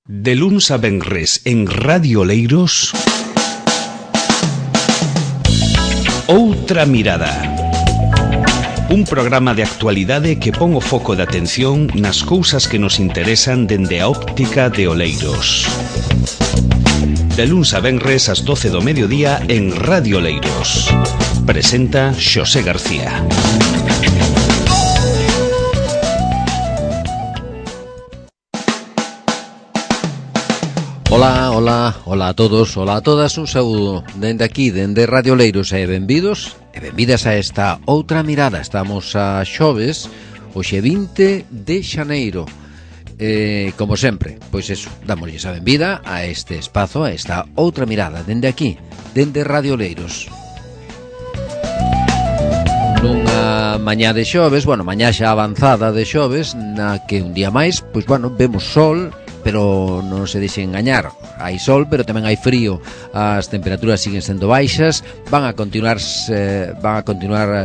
De luns a venres en Radio Oleiros, Outra Mirada. Un programa de actualidade que pon o foco de atención nas cousas que nos interesan dende a óptica de Oleiros. De luns a venres ás 12 do mediodía en Radio Oleiros. Presenta Xosé García. Ola a todos, ola a todas, un saúdo dende aquí, dende Radio Oleiros, e benvidos e benvidas a esta Outra Mirada. Estamos a xoves, hoxe 20 de xaneiro. Como sempre, pois eso, dámoslle a benvida a este espazo, a esta Outra Mirada, dende aquí, dende Radio Oleiros. Nunha mañá de xoves, mañá xa avanzada de xoves, na que un día máis, pois vemos sol, pero non se deixen engañar, hai sol, pero tamén hai frío, as temperaturas siguen sendo baixas, van a continuar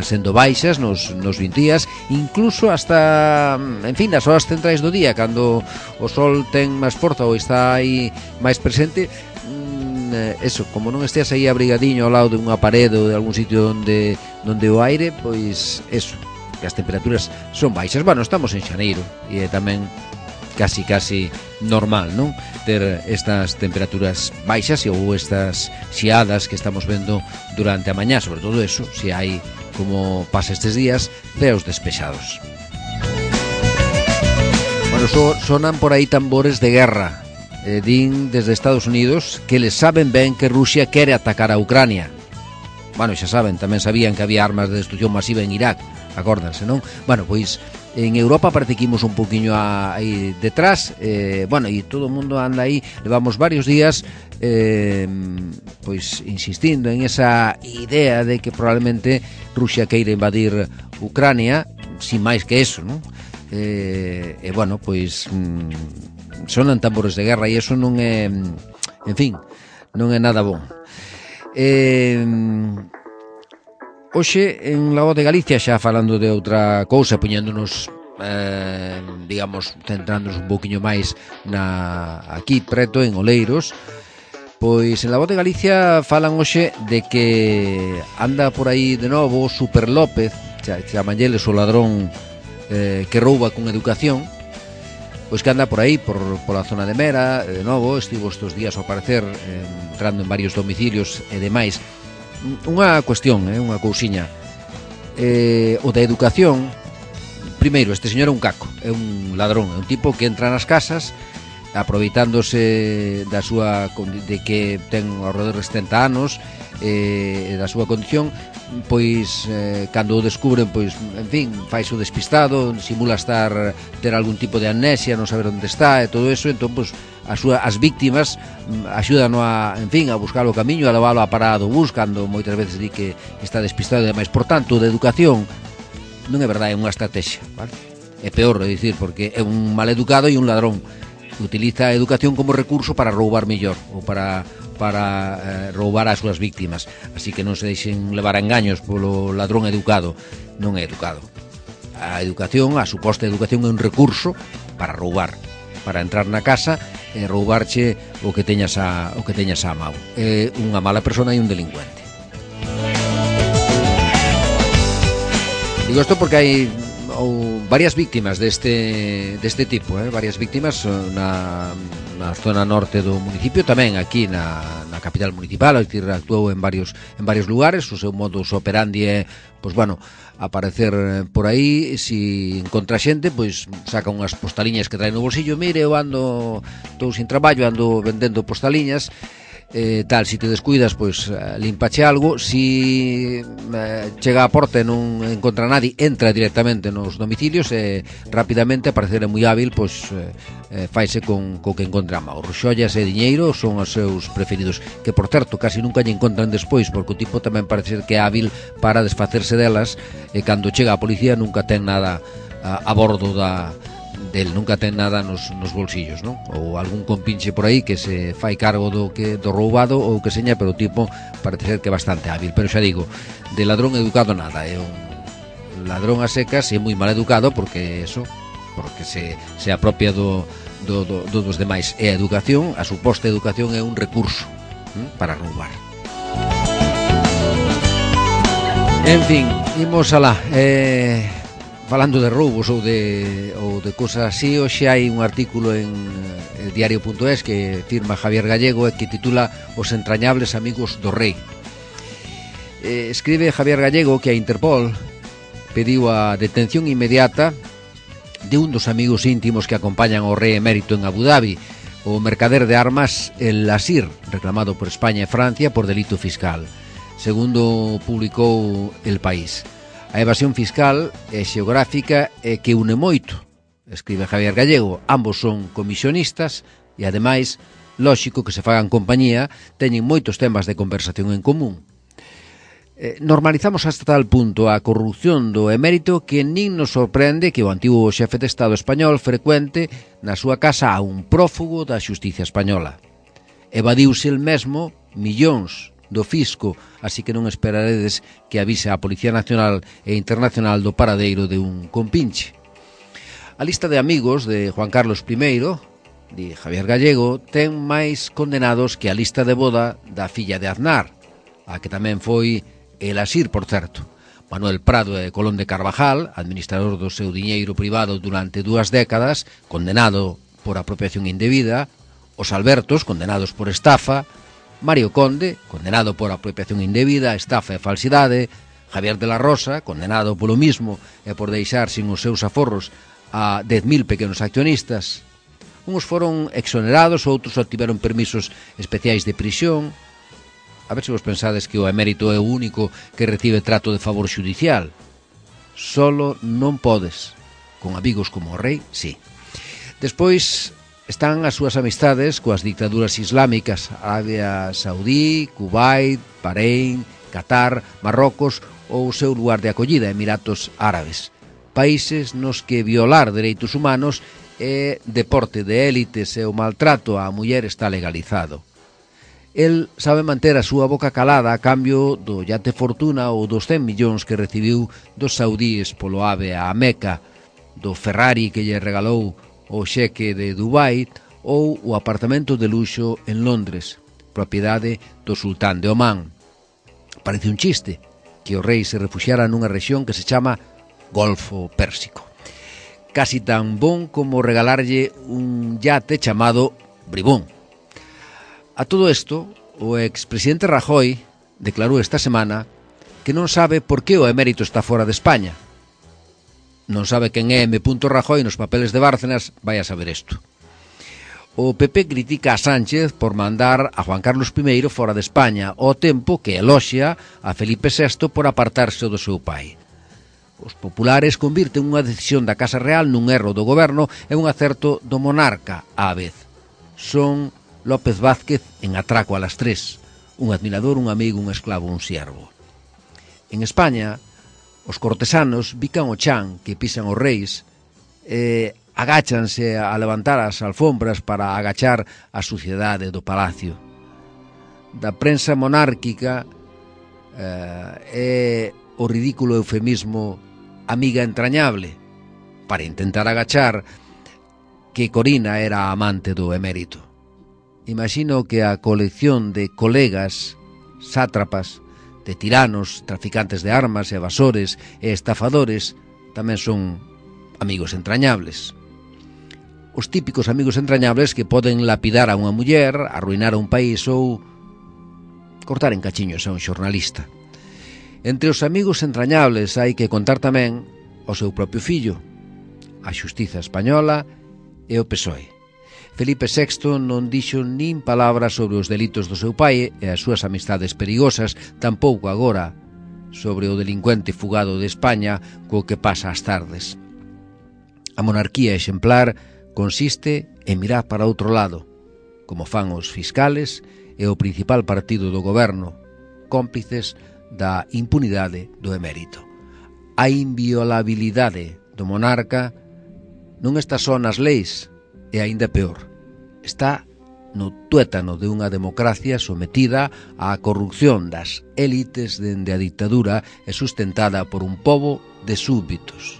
sendo baixas nos 20 días, incluso hasta, en fin, nas horas centrais do día, cando o sol ten máis forza ou está aí máis presente. Eso, como non estés aí abrigadiño ao lado dunha parede ou de algún sitio onde o aire, pois eso, que as temperaturas son baixas. Estamos en xaneiro e tamén casi normal, non? Ter estas temperaturas baixas ou estas xiadas que estamos vendo durante a mañá, sobre todo eso, se hai, como pasa estes días, ceos despexados. Sonan por aí tambores de guerra. Din desde Estados Unidos que les saben ben que Rusia quere atacar a Ucrania. Xa saben, tamén sabían que había armas de destrucción masiva en Irak, acórdanse, non? Pois en Europa parece que imos un poquinho aí detrás, e todo o mundo anda aí, levamos varios días pois insistindo en esa idea de que probablemente Rusia queira invadir Ucrania, sin máis que eso, non? Sonan tambores de guerra e eso non é, en fin, non é nada bon. Hoxe en La Voz de Galicia, xa falando de outra cousa, poñéndonos, centrándonos un poquinho máis aquí preto, en Oleiros, pois en La Voz de Galicia falan hoxe de que anda por aí de novo Super López, chamanlles o ladrón que rouba con educación, pois que anda por aí, pola zona de Mera, de novo, estivo estes días ao parecer entrando en varios domicilios e demais. Unha cuestión, unha cousiña, o da educación. Primeiro, este señor é un caco, é un ladrón, é un tipo que entra nas casas aproveitándose da súa, de que ten ao redor de 70 anos, da súa condición, pois cando o descubren, pois, en fin, faise o despistado, simula ter algún tipo de amnesia, non saber onde está e todo eso. Entón, pois, as víctimas axudan a buscar o camiño, a leválo a parado buscando, moitas veces di que está despistado e demais. Por tanto, de educación non é verdade, é unha estrategia, vale? É peor, é dicir, porque é un maleducado e un ladrón. Utiliza a educación como recurso para roubar mellor ou para roubar as súas víctimas. Así que non se deixen levar a engaños polo ladrón educado. Non é educado. A educación, a suposta educación, é un recurso para roubar, para entrar na casa e roubarche o que teñas a mão. É unha mala persona e un delincuente. Digo isto porque hai varias víctimas deste tipo, varias víctimas na zona norte do municipio, tamén aquí na capital municipal. Actuou en varios lugares. O seu modus operandi é, aparecer por aí, si encontra xente, pois saca unhas postaliñas que trae no bolsillo. Mire, eu estou sin traballo, ando vendendo postaliñas, si te descuidas, pois limpache algo. Si chega á porta e non encontra nadie, entra directamente nos domicilios e rapidamente, a parecer é moi hábil, pois faise con que encontra a mão. Xollas e diñeiro son os seus preferidos, que por certo casi nunca lle encontran despois, porque o tipo tamén parece ser que é hábil para desfacerse delas, e cando chega a policía nunca ten nada a bordo del, nunca ten nada nos bolsillos, non? Ou algún compinche por aí que se fai cargo do roubado ou que seña, pero o tipo parece ser que é bastante hábil. Pero xa digo, de ladrón educado nada, é un ladrón a secas e moi mal educado, porque se apropia do dos demais. E a educación, a suposta educación, é un recurso para roubar. En fin, imos alá. Falando de roubos ou de cosas así, hoxe hai un artículo en el diario.es que firma Javier Gallego e que titula Os entrañables amigos do rei. Escribe Javier Gallego que a Interpol pediu a detención inmediata de un dos amigos íntimos que acompañan ao rei emérito en Abu Dhabi, o mercader de armas El Asir, reclamado por España e Francia por delito fiscal, segundo publicou El País. A evasión fiscal e xeográfica é que une moito, escribe Javier Gallego. Ambos son comisionistas e, ademais, lóxico que se fagan compañía, teñen moitos temas de conversación en común. Normalizamos hasta tal punto a corrupción do emérito que nin nos sorprende que o antigo xefe de Estado español frecuente na súa casa a un prófugo da xustiza española. Evadiuse el mesmo millóns do fisco, así que non esperaredes que avise a Policía Nacional e Internacional do paradeiro de un compinche. A lista de amigos de Juan Carlos I, de Javier Gallego, ten máis condenados que a lista de boda da filla de Aznar, a que tamén foi El Asir, por certo. Manuel Prado e Colón de Carvajal, administrador do seu diñeiro privado durante 2 décadas, condenado por apropiación indebida, os Albertos, condenados por estafa, Mario Conde, condenado por apropiación indebida, estafa e falsidade, Javier de la Rosa, condenado polo mismo e por deixar sin os seus aforros a 10.000 pequenos accionistas. Uns foron exonerados, outros obtiveron permisos especiais de prisión. A ver se vos pensades que o emérito é o único que recibe trato de favor xudicial. Solo non podes. Con amigos como o rei, sí. Despois están as súas amistades coas dictaduras islámicas, Arabia Saudí, Kuwait, Bahrein, Qatar, Marrocos ou o seu lugar de acollida, Emiratos Árabes. Países nos que violar dereitos humanos é deporte de élites e o maltrato á muller está legalizado. El sabe manter a súa boca calada a cambio do yate fortuna ou dos 100 millóns que recibiu dos saudíes polo ave a Meca, do Ferrari que lle regalou o xeque de Dubai ou o apartamento de luxo en Londres, propiedade do sultán de Omán. Parece un chiste que o rei se refuxiara nunha rexión que se chama Golfo Pérsico. Casi tan bon como regalarlle un yate chamado Bribón. A todo isto, o expresidente Rajoy declarou esta semana que non sabe por que o emérito está fora de España. Non sabe quen é M. Rajoy nos papeles de Bárcenas, vai a saber isto. O PP critica a Sánchez por mandar a Juan Carlos I fora de España, ao tempo que eloxia a Felipe VI por apartarse do seu pai. Os populares convirten unha decisión da Casa Real nun erro do goberno e un acerto do monarca á vez. Son López Vázquez en Atraco a las 3, un admirador, un amigo, un esclavo, un siervo. En España, os cortesanos bican o chan que pisan os reis e agáchanse a levantar as alfombras para agachar a suciedade do palacio. Da prensa monárquica é o ridículo eufemismo amiga entrañable para intentar agachar que Corina era amante do emérito. Imagino que a colección de colegas, sátrapas, de tiranos, traficantes de armas, evasores e estafadores tamén son amigos entrañables. Os típicos amigos entrañables que poden lapidar a unha muller, arruinar a un país ou cortar en cachiños a un xornalista. Entre os amigos entrañables hai que contar tamén o seu propio fillo, a xustiza española e o PSOE. Felipe VI non dixo nin palabra sobre os delitos do seu pai e as súas amistades perigosas, tampouco agora sobre o delincuente fugado de España co que pasa ás tardes. A monarquía exemplar consiste en mirar para outro lado, como fan os fiscales e o principal partido do goberno, cómplices da impunidade do emérito. A inviolabilidade do monarca non está só nas leis, e aínda peor, está no tuétano de unha democracia sometida á corrupción das élites dende a ditadura e sustentada por un pobo de súbditos,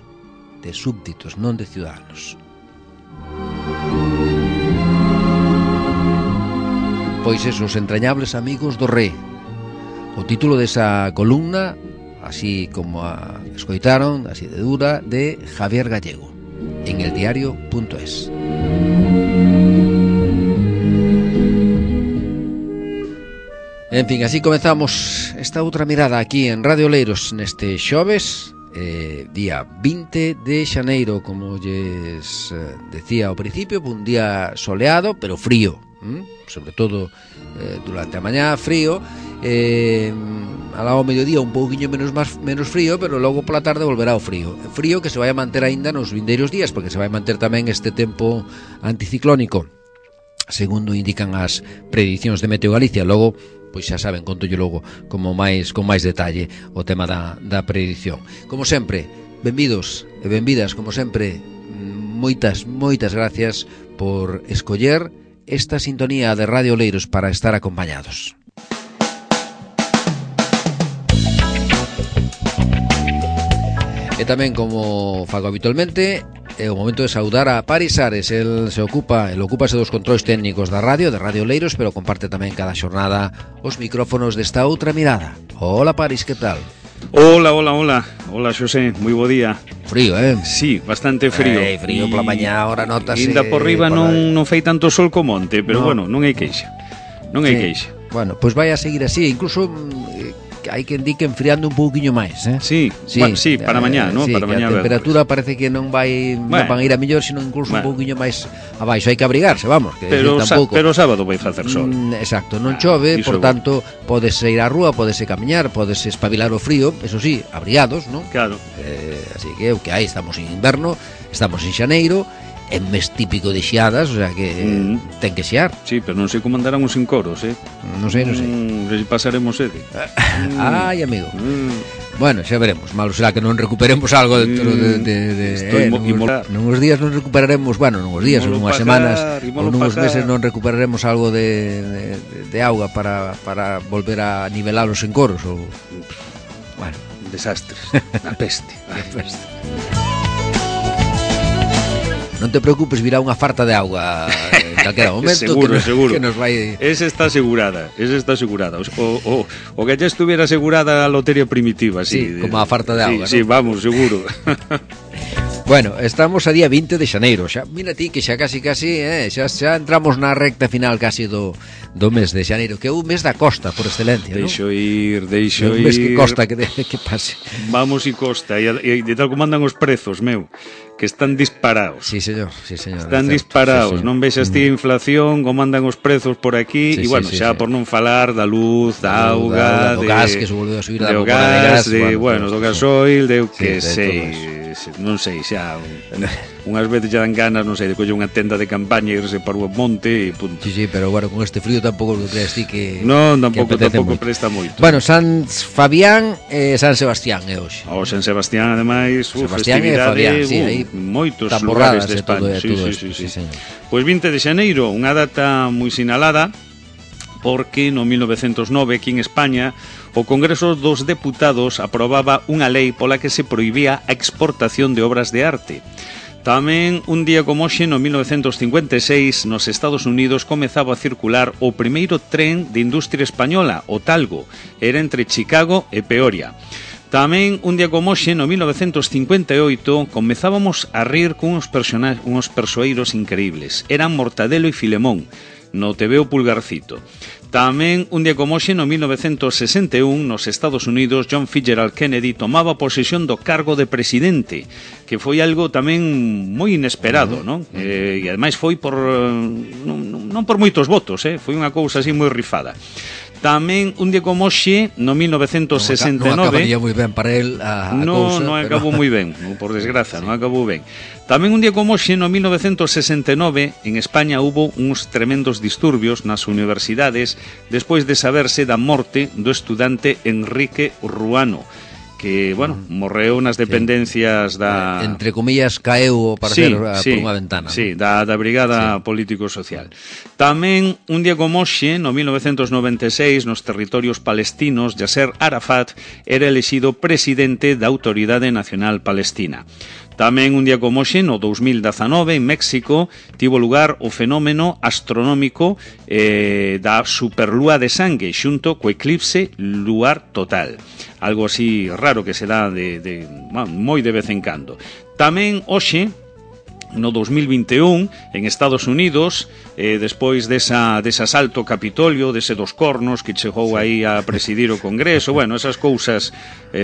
non de ciudadanos. pois esos entrañables amigos do Rei. O título desa columna, así como a escoitaron, así de dura, de Javier Gallego, en eldiario.es. En fin, así comezamos esta outra mirada aquí en Radio Oleiros neste xoves, día 20 de xaneiro, como lles decía ao principio, un día soleado, pero frío, sobre todo durante a mañá frío, ao mediodía un pouquiño menos frío, pero logo pola tarde volverá o frío. Frío que se vai a manter aínda nos vindeiros días, porque se vai manter tamén este tempo anticiclónico, segundo indican as predicións de Meteo Galicia. Logo, pois xa saben, contolle logo con máis detalle o tema da predición. Como sempre, benvidos e benvidas, como sempre, moitas gracias por escoller esta sintonía de Radio Oleiros para estar acompañados. E tamén, como fago habitualmente, é o momento de saudar a Paris Ares. El ocúpase dos controis técnicos da radio, de Radio Oleiros, pero comparte tamén cada xornada os micrófonos desta outra mirada. Hola Paris, que tal? Hola, Xosé, moi bo día. Frío, Sí, bastante frío. Frío pola mañá, ahora notase. Inda por riba non fai tanto sol como onte, pero bueno, non hai queixa. Bueno, pois vai a seguir así, incluso hai que indique enfriando un pouquiño máis, Sí, bueno, sí, para mañá, ¿no? Sí, para mañá a temperatura parece que non van a ir a mellor, sino incluso un pouquiño máis abaixo. Hai que abrigarse, vamos, que pero tampouco. Pero sábado vai facer sol. Exacto, non chove, por tanto, podese ir á rúa, podese camiñar, podese espabilar o frío, eso sí, abrigados, ¿no? Claro. Así que o que hai, estamos en inverno, estamos en xaneiro, en mes típico de xiadas, o sea que ten que xear. Sí, pero non sei como andarán os encoros, Non sei. Pasaremos sede. Ai, amigo. Bueno, xa veremos. Malo será que non recuperemos algo dentro nuns días non recuperaremos, bueno, nuns días, ou nunhas semanas, ou nuns meses non recuperaremos algo de auga para volver a nivelar os encoros, ou bueno, desastres, a peste. Non te preocupes, virá unha farta de auga en calquera momento. Seguro. Que nos vai... Esa está asegurada. O que ya estuviera asegurada a lotería primitiva. Sí, como a farta de auga, sí, ¿no? Vamos, seguro. Bueno, estamos a día 20 de xaneiro. Xa, mira ti que xa casi, xa entramos na recta final casi do mes de xaneiro, que é un mes da costa por excelencia, ¿no? Deixo ir. Un mes que costa que pase. Vamos e costa, e de tal como andan os prezos, meu, que están disparados. Sí, señor. Están disparados, sí. Non vexas ti a inflación, como andan os prezos por aquí, e bueno, xa por non falar da luz, da auga, do gas que se volveu a subir, do gas, do gasoil, de que sei, non sei, xa unhas veces xa dan ganas, non sei, de coller unha tenda de campaña e irse para o monte e punto. Sí, pero bueno, con este frío tampouco lo creas ti que non, tampouco presta moito. Bueno, San Fabián e San Sebastián é hoxe. O San Sebastián, ademais, Sebastián e Fabián, sí, aí moitos lugares de España. Sí, señor. Pois 20 de xaneiro, unha data moi sinalada, porque no 1909 aquí en España o Congreso dos Deputados aprobaba unha lei pola que se prohibía a exportación de obras de arte. Tamén un día como hoxe, no 1956, nos Estados Unidos comezaba a circular o primeiro tren de industria española, o Talgo, era entre Chicago e Peoria. Tamén un día como hoxe, no 1958, comezábamos a rir con uns persoeiros increíbles. Eran Mortadelo e Filemón, no TVO Pulgarcito. Tamén un día como hoxe, no 1961, nos Estados Unidos, John Fitzgerald Kennedy tomaba posesión do cargo de presidente, que foi algo tamén moi inesperado, non? E ademais foi por non por moitos votos, foi unha cousa así moi rifada. Tamén un día como hoxe, no 1969... Non acabaría moi ben para él a cousa. Non acabou moi ben, por desgraza, non acabou ben. Tamén un día como hoxe, no 1969, en España hubo uns tremendos disturbios nas universidades despois de saberse da morte do estudante Enrique Ruano, que, bueno, morreu nas dependencias da... Entre comillas, caeu para ser por unha ventana. Sí, da Brigada Político-Social. Tamén, un día como hoxe, no 1996, nos territorios palestinos, Yasser Arafat era elexido presidente da Autoridade Nacional Palestina. Tamén un día como hoxe, no 2019, en México, tivo lugar o fenómeno astronómico da superlúa de sangue xunto co eclipse luar total. Algo así raro que se dá moi de vez en cando. Tamén hoxe, no 2021, en Estados Unidos, despois dese asalto ao Capitolio, dese dos cornos que chegou aí a presidir o Congreso, bueno, esas cousas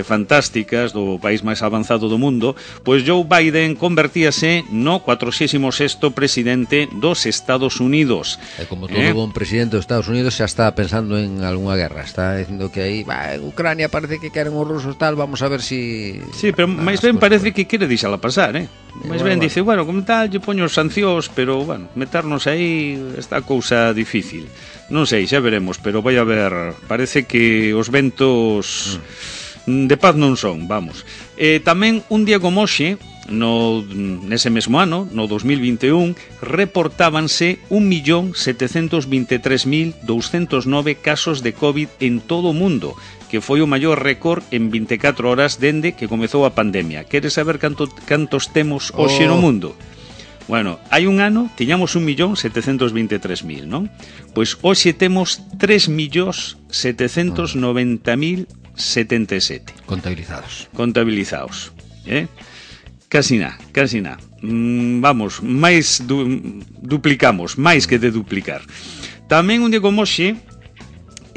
fantásticas do país máis avanzado do mundo, pois Joe Biden convertíase no 46º presidente dos Estados Unidos. E como todo bon presidente dos Estados Unidos xa está pensando en algunha guerra, está dicindo que aí, en Ucrania parece que queren os rusos tal, vamos a ver si... Sí, pero máis ben parece que quere deixala pasar, máis ben dice, bueno, como tal, lle poño sancións, pero, bueno, meternos aí está cousa difícil. Non sei, xa veremos, pero vai a ver, parece que os ventos de paz non son, vamos. Tamén un día como hoxe, nese mesmo ano, no 2021, reportábanse 1.723.209 casos de COVID en todo o mundo, que foi o maior récord en 24 horas dende que comezou a pandemia. Queres saber cantos temos hoxe no mundo? Bueno, hai un ano tiñamos 1.723.000, non? Pois hoxe temos 3.790.077 contabilizados, Casi nada. Vamos, máis duplicamos, máis que de duplicar. Tamén un día como hoxe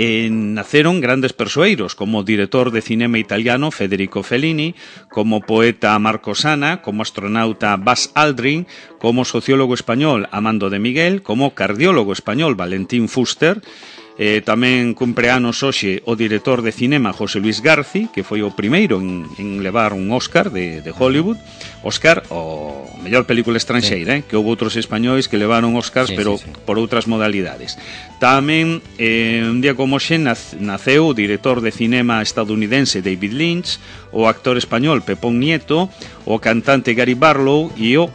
naceron grandes persoeiros, como o director de cinema italiano Federico Fellini, como poeta Marco Sana, como astronauta Buzz Aldrin, como sociólogo español Amando de Miguel, como cardiólogo español Valentín Fuster. Tamén cumpre anos hoxe o director de cinema José Luis Garci, que foi o primeiro en levar un Óscar de Hollywood. Óscar, o mellor película estranxeira, que houve outros españois que levaron Óscars, pero por outras modalidades. Tamén, un día como hoxe, naceu o director de cinema estadounidense David Lynch, o actor español Pepón Nieto, o cantante Gary Barlow e o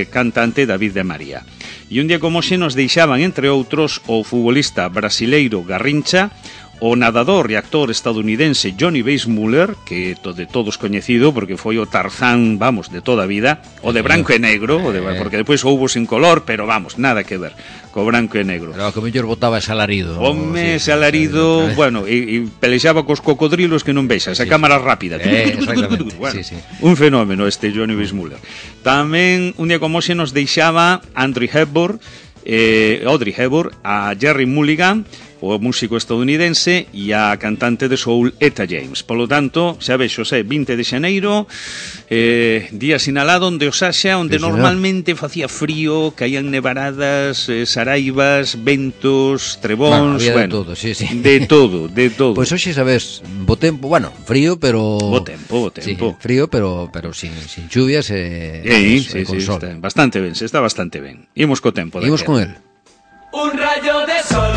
cantante David de María. E un día como hoxe nos deixaban, entre outros, o futbolista brasileiro Garrincha, o nadador e actor estadounidense Johnny Weissmuller, que de todos coñecido porque foi o Tarzán, vamos, de toda a vida, o de branco e negro, porque depois houbo sin color, pero vamos, nada que ver co branco e negro. Pero que mellor botaba ese alarido. Home, ese alarido, bueno, e pelexaba cos cocodrilos que non vexas, a cámara rápida. Bueno, un fenómeno este Johnny Weissmuller. Tamén un día como hoxe nos deixaba Audrey Hepburn, a Jerry Mulligan, o músico estadounidense, e a cantante de soul Etta James. Polo tanto, xa vexo, 20 de xaneiro, día sinalado onde o Saxa, onde normalmente facía frío, caían nevaradas, saraivas, ventos, trebóns, bueno, de todo. Pois hoxe, sabes, bo tempo, bueno, frío, pero... Bo tempo. Sí, frío, pero sin chuvias con sol. Está bastante ben. Imos co tempo. Imos con el. Un rayo de sol,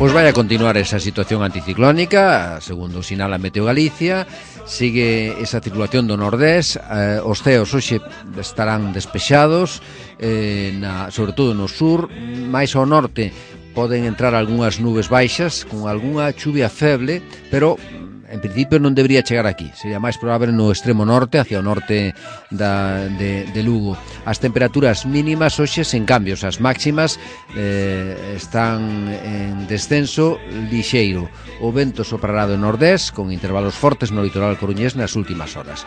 Pois vai a continuar esa situación anticiclónica, segundo sinala Meteo Galicia, sigue esa circulación do nordés, os ceos hoxe estarán despexados, sobre todo no sur, máis ao norte poden entrar algunhas nubes baixas, con algunha chuvia feble, pero en principio non debería chegar aquí, sería máis probable no extremo norte, hacia o norte de Lugo. As temperaturas mínimas hoxe sen cambios, as máximas están en descenso lixeiro. O vento soprará do nordés con intervalos fortes no litoral coruñés nas últimas horas.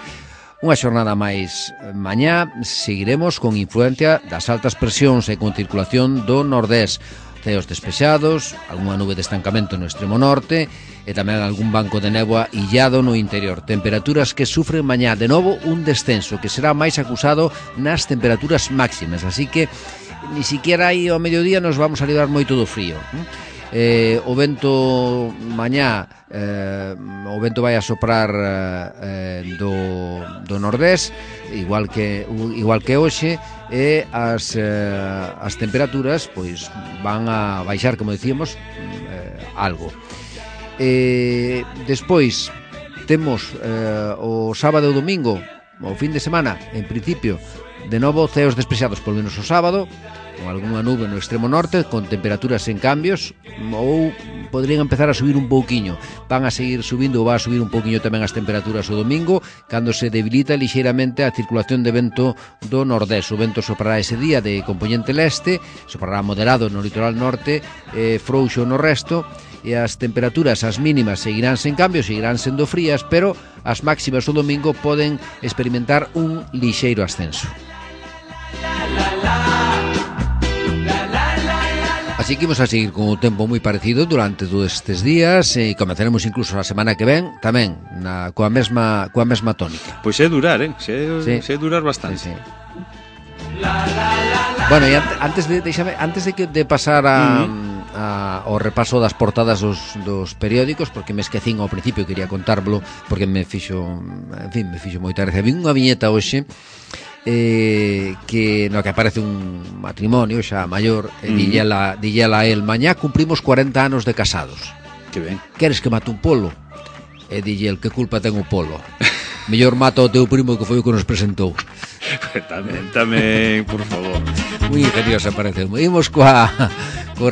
Unha xornada máis mañá seguiremos con influencia das altas presións e con circulación do nordés. Ceos despexados, algunha nube de estancamento no extremo norte e tamén algún banco de néboa illado no interior. Temperaturas que sufren mañá de novo un descenso que será máis acusado nas temperaturas máximas, así que ni siquiera aí ao mediodía nos vamos a librar moito do frío. O vento mañá, o vento vai a soprar do nordés, igual que hoxe, e as temperaturas pois van a baixar, como decíamos, algo. Despois temos o sábado e o domingo, o fin de semana, en principio, de novo ceos despexados polo menos o sábado, con algunha nube no extremo norte, con temperaturas en cambios, ou podrían empezar a subir un pouquiño. Van a seguir subindo ou va a subir un pouquiño tamén as temperaturas o domingo, cando se debilita lixeiramente a circulación de vento do nordés. O vento soprará ese día de componente leste, soprará moderado no litoral norte, frouxo no resto, e as temperaturas, as mínimas, seguirán sen cambio, seguirán sendo frías, pero as máximas o domingo poden experimentar un lixeiro ascenso. Así que imos a seguir con o tempo moi parecido durante todos estes días e comenzaremos incluso a semana que ven tamén coa mesma tónica. Pois é durar, é durar bastante. Sí. Bueno, e antes de pasar ao repaso das portadas dos periódicos, porque me esquecín ao principio, quería contárvelo porque me fixo moita gracia. Vi unha viñeta hoxe que no que aparece un matrimonio xa maior e dilla a el: mañá cumprimos 40 anos de casados. Que ben. Queres que mate un polo? E dille el: que culpa ten o polo? Mellor mata o teu primo, que foi o que nos presentou. Tamén, por favor. Moi ingeniosa parece. Imos co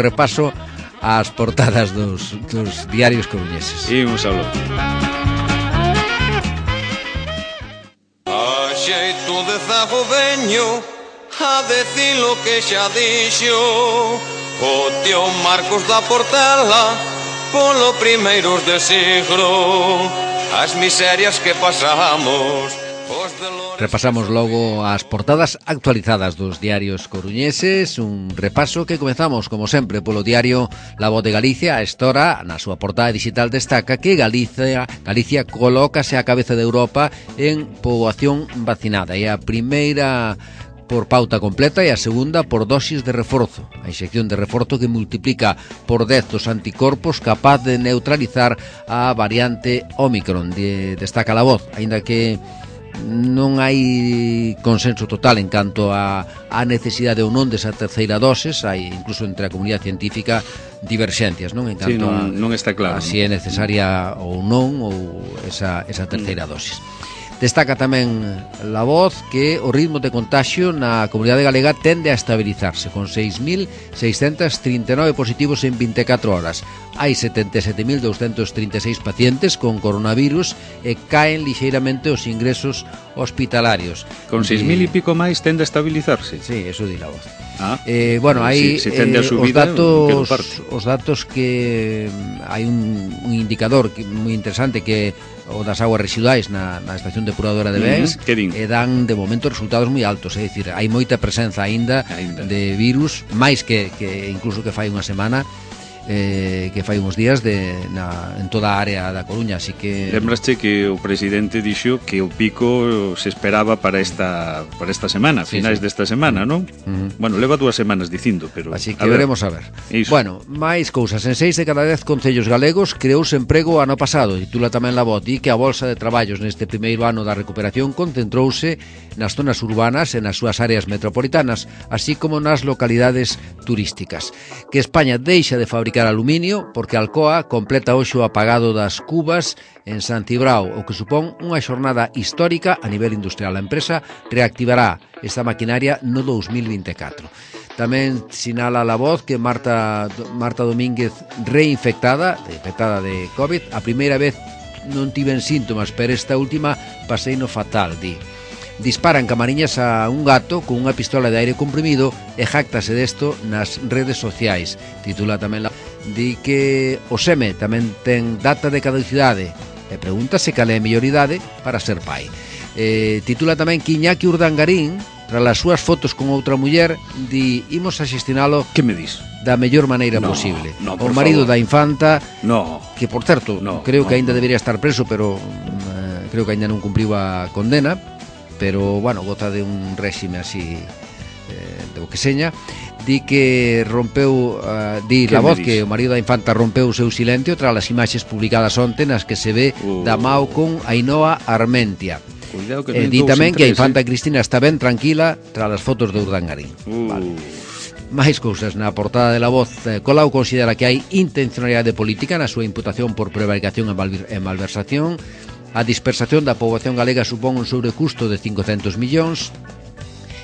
repaso ás portadas dos diarios coruñeses. Imos a lo. Xeito de zago veño a decir lo que xa dixo o tío Marcos da Portela polo primeiros de siglo, as miserias que pasamos. Repasamos logo as portadas actualizadas dos diarios coruñeses, un repaso que comezamos, como sempre, polo diario La Voz de Galicia. A estora, na súa portada digital, destaca que Galicia colócase á cabeza de Europa en poboación vacinada. E a primeira por pauta completa e a segunda por dosis de reforzo. A inxección de reforzo que multiplica por 10 os anticorpos, capaz de neutralizar a variante Ómicron, destaca La Voz, aínda que non hai consenso total en canto a necesidade ou non desa terceira doses. Hai incluso entre a comunidade científica diverxencias, non? En canto non está claro, a si é necesaria ou non ou esa terceira dosis. Destaca tamén La Voz que o ritmo de contagio na comunidade galega tende a estabilizarse, con 6.639 positivos en 24 horas. Hai 77.236 pacientes con coronavirus e caen lixeiramente os ingresos hospitalarios. Con 6.000 e pico máis tende a estabilizarse? Sí, eso di La Voz. Bueno, hai tende a subida, os datos que hai un indicador moi interesante que o das aguas residuais na estación depuradora de Bens, e dan de momento resultados moi altos, é dicir, hai moita presenza aínda de virus, máis que incluso que fai unha semana, que fai uns días en toda a área da Coruña, así que... Lembraste que o presidente dixo que o pico se esperaba para esta semana, finais desta semana, non? Bueno, leva 2 semanas dicindo, pero... Así que veremos a ver. Bueno, máis cousas. En 6 de cada 10 concellos galegos creouse emprego ano pasado. Titula tamén La Voz, di que a Bolsa de Traballos neste primeiro ano da recuperación concentrouse nas zonas urbanas e nas súas áreas metropolitanas, así como nas localidades turísticas. Que España deixa de fabricar aluminio porque Alcoa completa hoxe o apagado das cubas en San Cibrao, o que supón unha xornada histórica a nivel industrial. A empresa reactivará esta maquinaria no 2024. Tamén sinala La Voz que Marta Domínguez reinfectada de COVID. A primeira vez non tiven síntomas, pero esta última paseino fatal, di. Disparan camariñas a un gato con unha pistola de aire comprimido e jáctase desto nas redes sociais. Titula tamén di que o seme tamén ten data de caducidade e pregúntase cal é a mellor idade para ser pai. Titula tamén que Iñaki Urdangarín, tras as súas fotos con outra muller, di: imos a xestionalo que me dis? Da mellor maneira posible. O marido da infanta, que por certo, creo que aínda debería estar preso, pero creo que aínda non cumpriu a condena, pero, bueno, goza de un réxime así do que seña. Di que rompeu, di La Voz que o marido da infanta rompeu o seu silencio tras as imaxes publicadas onte nas que se ve da mao con Ainhoa Armentia. Di tamén que a infanta Cristina está ben tranquila tras as fotos de Urdangarín. Máis cousas na portada de La Voz. Colau considera que hai intencionalidade política na súa imputación por prevaricación e malversación. A dispersación da poboación galega supón un sobrecusto de 500 millóns.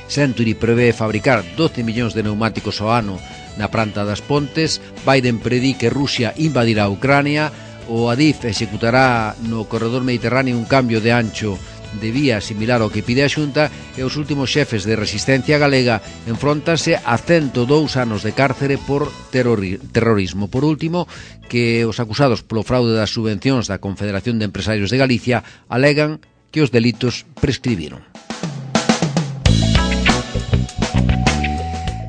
Century prevé fabricar 12 millóns de neumáticos ao ano na planta das Pontes. Biden predí que Rusia invadirá Ucrania. O Adif executará no corredor mediterráneo un cambio de ancho de vía similar ao que pide a Xunta, e os últimos xefes de resistencia galega enfróntanse a 102 anos de cárcere por terrorismo. Por último, que os acusados polo fraude das subvencións da Confederación de Empresarios de Galicia alegan que os delitos prescribiron.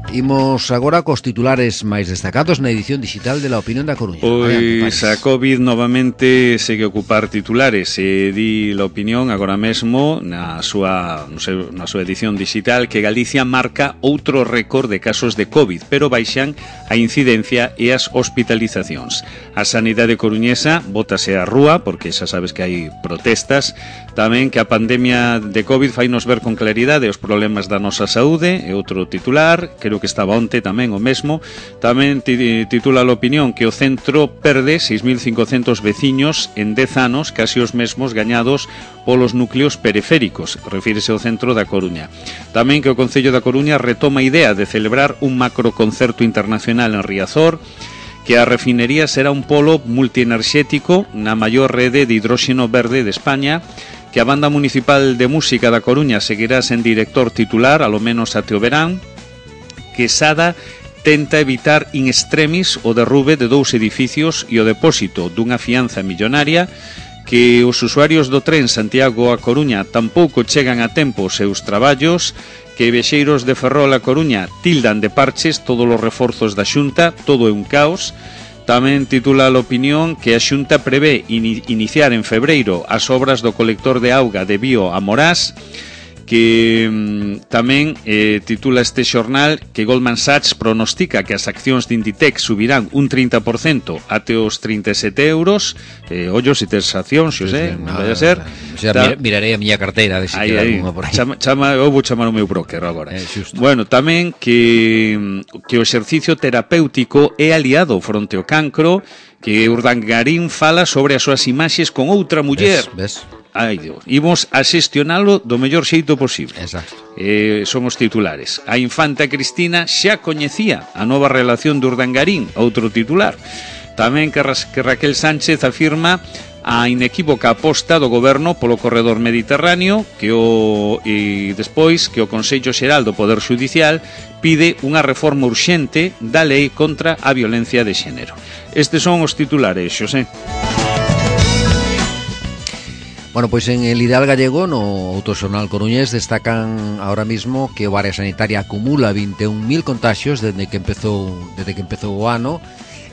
Imos agora cos titulares máis destacados na edición digital de La Opinión da Coruña. Pois a COVID novamente segue a ocupar titulares. Di La Opinión agora mesmo na súa edición digital que Galicia marca outro récord de casos de COVID, pero baixan a incidencia e as hospitalizacións. A sanidade coruñesa bótase á rúa, porque xa sabes que hai protestas. Tamén que a pandemia de COVID fainos ver con claridade os problemas da nosa saúde, é outro titular. Creo que estaba onte tamén o mesmo. Tamén titula La Opinión que o centro perde 6.500 veciños en 10 anos, casi os mesmos gañados polos núcleos periféricos, refírese ao centro da Coruña. Tamén que o Concello da Coruña retoma a idea de celebrar un macroconcerto internacional en Riazor, que a refinería será un polo multienerxético na maior rede de hidróxeno verde de España, que a Banda Municipal de Música da Coruña seguirá sen director titular, alo menos até o verán, que Sada tenta evitar in extremis o derrube de 2 edificios e o depósito dunha fianza millonaria, que os usuarios do tren Santiago a Coruña tampouco chegan a tempo os seus traballos, que viaxeiros de Ferrol a Coruña tildan de parches todos os reforzos da Xunta, todo é un caos. Tamén titula La Opinión que a Xunta prevé iniciar en febreiro as obras do colector de auga de Bío a Morás, que tamén titula este xornal que Goldman Sachs pronostica que as accións de Inditex subirán un 30% até os 37 euros. Ollo, se tes accións, Xosé, non vai a ser. Mirarei a miña carteira de se queda alguma por aí. Eu vou chamar o meu broker agora. Bueno, tamén que o exercicio terapéutico é aliado fronte ao cancro, que Urdangarín fala sobre as súas imaxes con outra muller. Ves? Ai, Dios, imos a xestionalo do mellor xeito posible. Exacto. Son os titulares. A infanta Cristina xa coñecía a nova relación de Urdangarín, outro titular. Tamén que Raquel Sánchez afirma a inequívoca aposta do goberno polo corredor mediterráneo, e despois que o Consello Xeral do Poder Xudicial pide unha reforma urxente da lei contra a violencia de xénero. Estes son os titulares, Xosé. Bueno, pois en el Ideal Gallego, no Autoxornal Coruñés, destacan ahora mismo que o área sanitaria acumula 21.000 contagios desde que empezou o ano,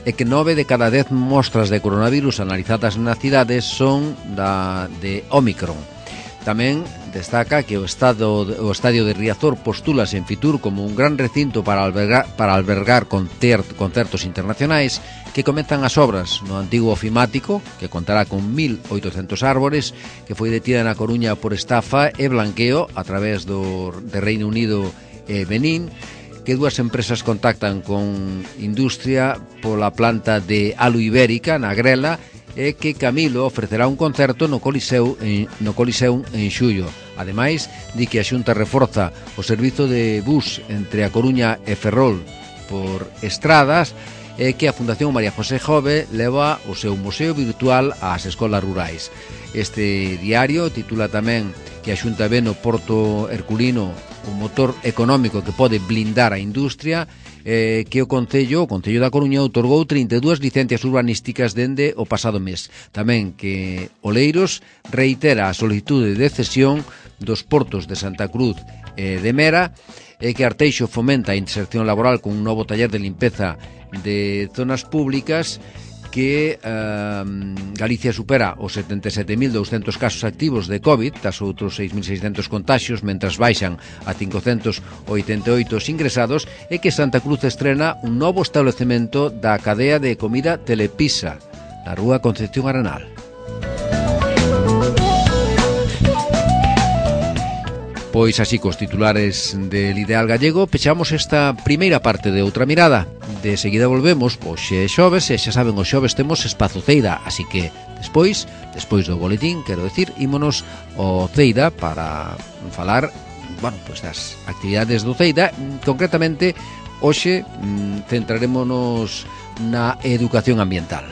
e que 9 de cada 10 mostras de coronavirus analizadas na cidade son de Ómicron. Tamén destaca que o estadio de Riazor postúlase en Fitur como un gran recinto para albergar concertos internacionais, que comezan as obras no antigo ofimático, que contará con 1.800 árbores, que foi detida na Coruña por estafa e blanqueo a través de Reino Unido e Benín, que dúas empresas contactan con Industria pola planta de Alu Ibérica na Grela, e que Camilo ofrecerá un concerto no Coliseu en xullo. Ademais, di que a Xunta reforza o servizo de bus entre a Coruña e Ferrol por estradas, e que a Fundación María José Jove leva o seu museo virtual ás escolas rurais. Este diario titula tamén que a Xunta ve no Porto Herculino un motor económico que pode blindar a industria, que o Concello da Coruña outorgou 32 licencias urbanísticas dende o pasado mes. Tamén que Oleiros reitera a solicitude de cesión dos portos de Santa Cruz e de Mera, e que Arteixo fomenta a inserción laboral con un novo taller de limpeza de zonas públicas, que Galicia supera os 77.200 casos activos de COVID, tas outros 6.600 contagios, mentras baixan a 588 ingresados, e que Santa Cruz estrena un novo establecemento da cadea de comida Telepisa na rúa Concepción Arenal. Pois así, cos titulares del Ideal Gallego, pechamos esta primeira parte de Outra Mirada. De seguida volvemos, pois xe xoves, e xa saben, os xoves temos espazo Ceida, así que despois do boletín, quero decir, ímonos ao Ceida para falar bueno, pues das actividades do Ceida. Concretamente, hoxe centrarémonos na educación ambiental.